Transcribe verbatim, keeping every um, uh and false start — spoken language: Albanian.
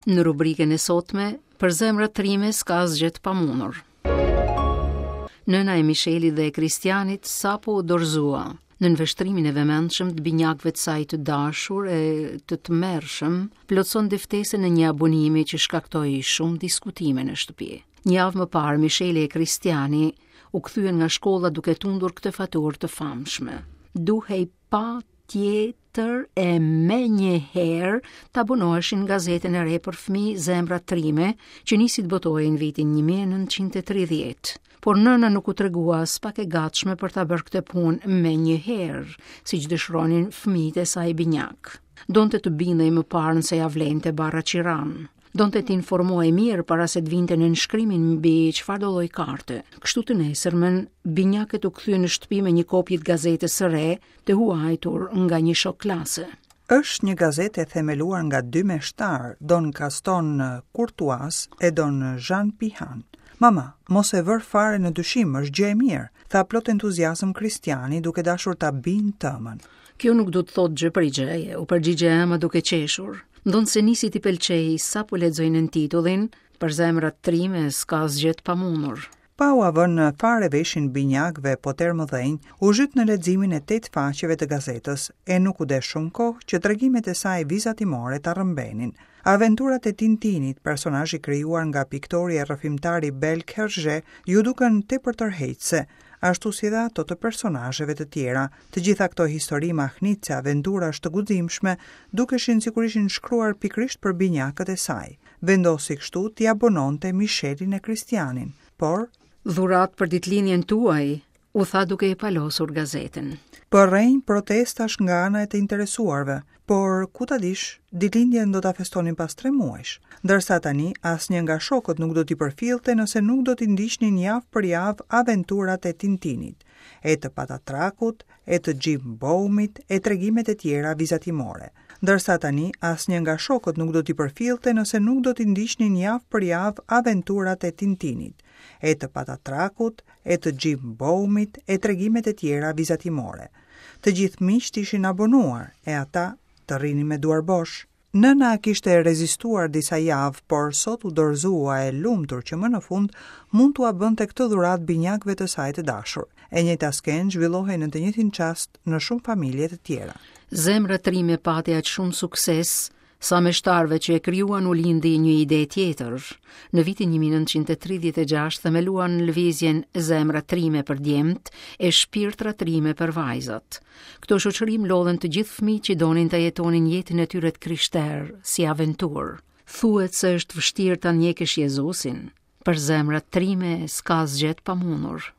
Në rubrikën e sotme, për zemrat trime s'ka asgjë të pamundur. Nëna e Mishelit dhe e Kristianit sapo u dorëzua nën vështrimin e vëmendshëm të binjakëve të saj të dashur e të tmerrshëm, plotëson dëftesën e një abonimi që shkaktoi shumë diskutime në shtëpi. Një javë më parë, Misheli e Kristiani u kthyen nga shkolla duke tundur këtë faturë të famshme. Duhej pa tjetër e me njëherë të abonoheshin gazetën e re për fëmijë Zemra Trime, që nisi të botohej në vitin një mijë e nëntëqind e tridhjetë. Por nëna nuk u tregua aspak e gatshme për ta bërë këtë punë me njëherë, siç dëshironin fëmijët e saj binjak. Donte të bindej më parë nëse ja vlente barra qiran. Donte të informohej mirë para se të vinte nënshkrimin mbi çfarëdo lloj karte. Kështu të nesërmen, binjakët u kthyen në shtëpi me një kopje të gazetës së re, të huajtur nga një shok klase. Është një gazetë e themeluar nga dy meshtar, Don Gaston Courtois e Don Jean Pihan. "Mama, mos e vër fare në dyshim, është gjë e mirë", tha plot entuziazëm Kristiani, duke dashur ta bind tëmën. "Kjo nuk do të thotë gjë për gjëje", u përgjigj e ëma duke qeshur. Ndonëse nisi t'i pëlqej sapo lexoi nën titullin "Për zemrat trime s'ka asgjë të pamundur". Pa ua vënë fare veshin binjakëve potermëdhenj, u zhyt në leximin e tetë faqeve të gazetës, e nuk u desh shumë kohë që tregimet e saj vizatimore ta rrëmbenin. Aventurat e Tintinit, personazh i krijuar nga piktori e rrëfimtari belg Hergé, ju duken tepër tërheqëse, ashtu si edhe ato të personazheve të tjera. Të gjitha këto histori mahnitëse aventurash të guximshme dukeshin sikur ishin shkruar pikërisht për binjakët e saj. Vendosi kështu t'i abononte Michelin e Kristianin, por "Dhuratë për ditëlindjen tuaj", u tha duke e palosur gazetën. Përrenj protestash nga ana e të interesuarve, por ku ta dish, ditëlindjen do ta festonin pas tre muajsh, ndërsa tani asnjë nga shokët nuk do t'i përfillte nëse nuk do t'i ndiqnin javë për javë aventurat e Tintinit, e të Patatrakut, e të Jim Boumit, e tregimet e tjera vizatimore. Ndërsa tani asnjë nga shokët nuk do t'i përfillte nëse nuk do t'i ndiqnin javë për javë aventurat e Tintinit, e të Patatrakut, e të Jim Boumit, e tregimet e tjera vizatimore. Të gjithë miqtë ishin abonuar, e ata të rrinin me duar bosh. Nëna kishte rezistuar disa javë, por sot u dorëzua e lumtur që më në fund mund t'ua bënte këtë dhuratë binjakëve të saj të dashur. E njëjta skenë zhvillohej në të njëjtin çast në shumë familje të tjera. Zemra Trime pati aq shumë sukses sa meshtarëve që e krijuan u lindi një ide tjetër. Në vitin një mijë e nëntëqind e tridhjetë e gjashtë themeluan lëvizjen Zemra Trime për djemt e Shpirtra Trime për vajzat. Këto shoqëri mblodhen të gjithë fëmijët që donin të jetonin jetën e tyre të krishterë si aventurë. Thuhet se është vështirë ta ndjekësh Jezusin. Për zemrat trime s'ka asgjë të pamundur.